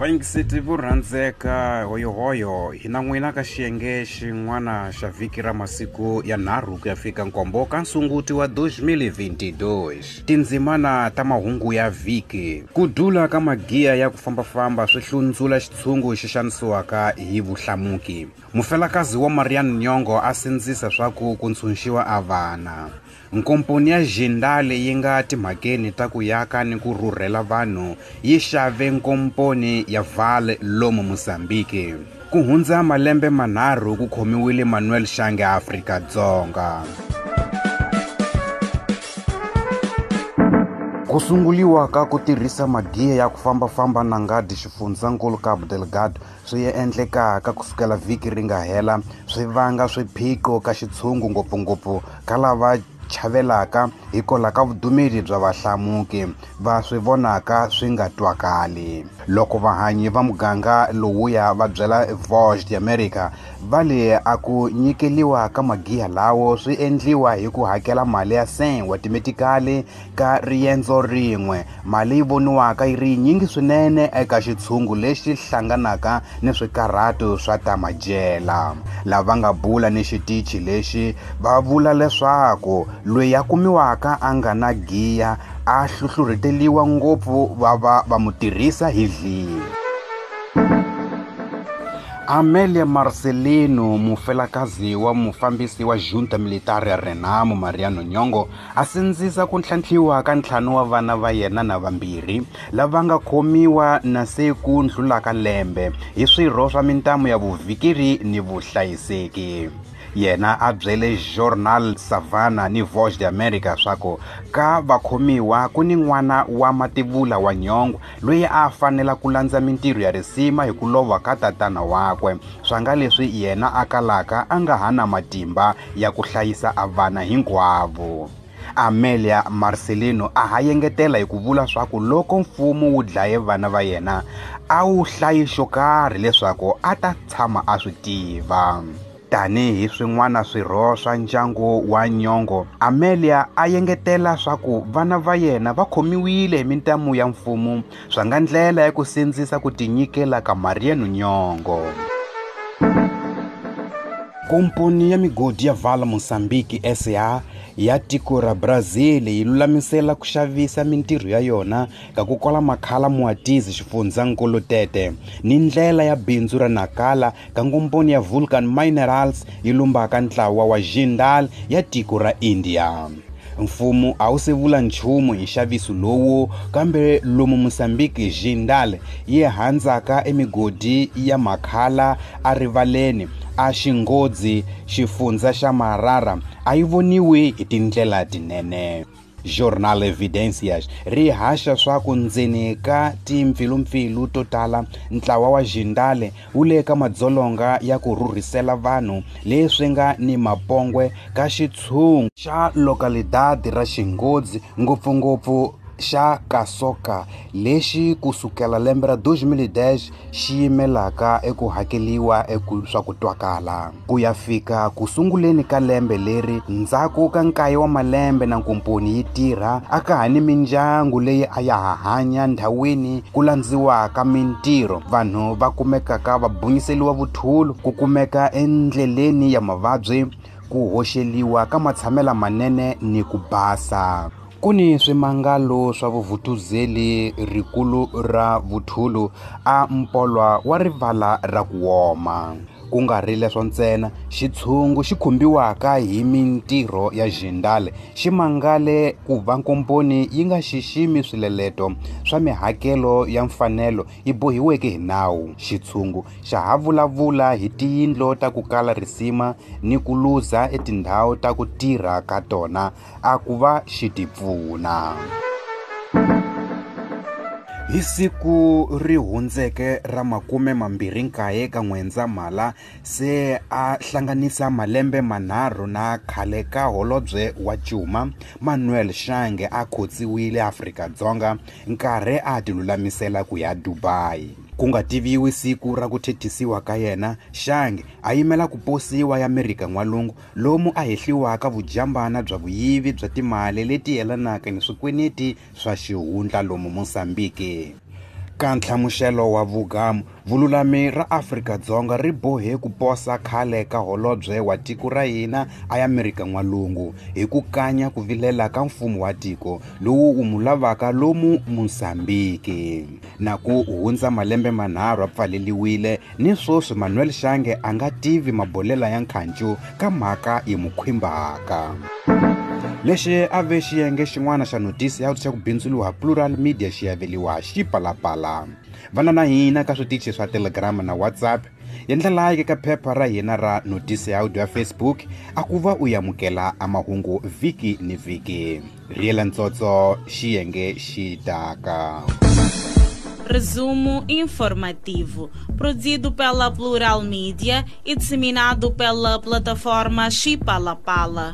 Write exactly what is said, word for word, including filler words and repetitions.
Vayingiseti vo rhandzeka hoyohoyo hi na n'wina ka xiyenge xin'wana xa vhiki ra masiku ya nharhu ku ya fika nkombo ka Nsunguti wa twenty twenty-two. Tindzimana ta mahungu ya vhiki. Ku dula ka magiya ya ku fambafamba swi hlundzula xitshungu xi xanisiwaka hi vuhlamuki. Mufelakazi wa Mariano Nyongo a sindzisa swaku ku ntshunxiwa a vana. Nkomponi ya Jindal yi nga timhakeni ta ku yaka ni ku rhurhela vanhu yi xave nkomponi ya Vale lomu Mozambique. Ku hundza malembe manharhu ku khomiwile Manuel Shange Afrika-Dzonga. Ku sunguliwa ka ku tirhisa magiya ya ku fambafamba na ngadi xifundzankulu Cabo Delgado swi endlekaka kusukela vhiki ri nga hela swi vanga swiphiqo ka xitshungu ngopfungopfu ka lava chavelaka hikwalaho ka vudumeli bya vahlamuki va swi vonaka swi nga twakali. Loko vahanyi va muganga lowuya va byela Voz de America va le a ku nyikeliwa ka magiya lawo swi endliwa hi ku hakela mali ya cent wa timetikali ka riendzo rin'we, mali yi voniwaka yi ri yinyingi swinene eka xitshungu lexi hlanganaka ni swikarhato swa ta madyela. Lava nga bula ni xitichi lexi va vula leswaku loyi a kumiwaka a nga na giya a hluhlurheteliwa ngopfu va va va mu tirhisa hi dliwa. Amelia Marcelino, mufelakazi wa mufambisi wa Junta Militar ya Renamo Mariano Nyongo, a sindzisa ku ntlhantlhiwa ka ntlhanu wa vana va yena na vambirhi lava nga khomiwa na se ku ndlulaka lembe hi swirho swa mintamu ya vuvhikiri ni vuhlayiseki. Yena a byele Jornal Savana ni Voz de America swaku ka vakhomiwa ku ni n'wana wa mativula wa Nyongo loyi a fanela ku landza mintirho ya risima hi ku lova ka tatana wakwe, swa nga leswi yena a kalaka a nga ha na matimba ya ku hlayisa a vana hinkwavo. Amelia Marcelino a ha yengetela hi ku vula swaku loko mfumo wu dlaye vana va yena a wu hlayi xo karhi leswaku a ta tshama a swi tiva. Tanihi swin'wana swirho swa ndyangu wa Nyongo, Amelia a yengetela swaku vana va yena va khomiwile hi mintamu ya mfumo swa nga ndlela ya ku sindzisa ku tinyikela ka Mariano Nyongo. Komponi ya migodi ya Vale Mozambique S A ya tiko ra Brazil yi lulamisela ku xavisa mintirho ya yona ka ku kola makhala Muatizi xifundzankulu Tete ni ndlela ya bindzu ra Nakala ka nkomponi ya Vulcan Minerals yi lumbaka ntlawa wa Jindal ya tiko ra India. Mfumo a wu se vula nchumu hi nxaviso lowu, kambe lomu Mozambique Jindal yi handzaka emigodi ya makhala a rivaleni a Xingodzi xifundza xa Marara a yi voniwi hi tindlela tinene. Jornal Evidencias ri haxa swaku ndzeni ka timpfilumpfilu to tala ntlawa wa Jindal wu le ka madzolonga ya ku rhurhisela vanhu leswi nga ni mapongwe ka xitshungu xa localidade ra Xingodzi ngopfungopfu xa Kasoka lexi kusukela lembe ra twenty ten xi yimelaka eku hakeliwa eku swa ku twakala. Ku ya fika ku sunguleni ka lembe leri ndzhaku ka nkaye wa malembe na nkomponi yi tirha a ka ha ni mindyangu leyi a ya ha hanya ndhawini ku landziwaka mintirho, vanhu va kumekaka va bunyiseliwa vuthulu, ku kumeka endleleni ya mavabyi, ku hoxeliwa ka matshamela manene ni ku basa. Ku ni swimangalo swa vuvhutuzeli rikulu ra vuthulu a mpolwa wa rivala ra ku woma. Ku nga ri leswo ntsena, xitshungu xi khumbiwaka hi mintirho ya Jindal xi mangale ku va nkomponi yi nga xiximi swileleto swa mihakelo ya mfanelo yi bohiweke hi nawu. Xitshungu xa ha vulavula hi tiyindlu ta ku kala risima ni ku luza etindhawu ta ku tirha ka tona a ku va xi tipfuna. Hi siku ri hundzeke ra makume mambirhi nkaye ka N'wendzamhala se a hlanganisa malembe manharhu na khale ka holobye wa Cuma Manuel Shange a khotsiwile Afrika-Dzonga nkarhi a tilulamisela ku ya Dubai. Ku nga tiviwi siku ra ku thethisiwa ka yena, Shange a yimela ku posiwa ya Amerika N'walungu lomu a hehliwaka vujambana bya vuyivi bya timali leti yelanaka ni swikweneti swa xihundla lomu Mozambique. Ka nhlamuselo wa vugamu, vululami ra Afrika-Dzonga ri bohe ku posa khale ka holobye wa tiko ra hina a Amerika N'walungu hi ku kanya ku vilela ka mfumo wa tiko lowu wu mu lavaka lomu Mozambiki. Na ku hundza malembe manharhu a pfaleliwile, ni sweswi Manuel Shange a nga tivi mabolela ya nkhancu ka mhaka yi mu khwimbaka. Lexi a ve xiyenge xin'wana xa notisi ya xa ku bindzuriwa Plural Media xi aveliwa Xipalapala. Vana na hina ka switichi swa Telegram na WhatsApp, endla like ka phepha ra hina ra notisi ya audio ya Facebook a ku va u amukela a mahungu vhiki ni vhiki. Riela ntsotso xiyenge xi taka. Resumo informativo, produzido pela Plural Media e disseminado pela plataforma Xipalapala.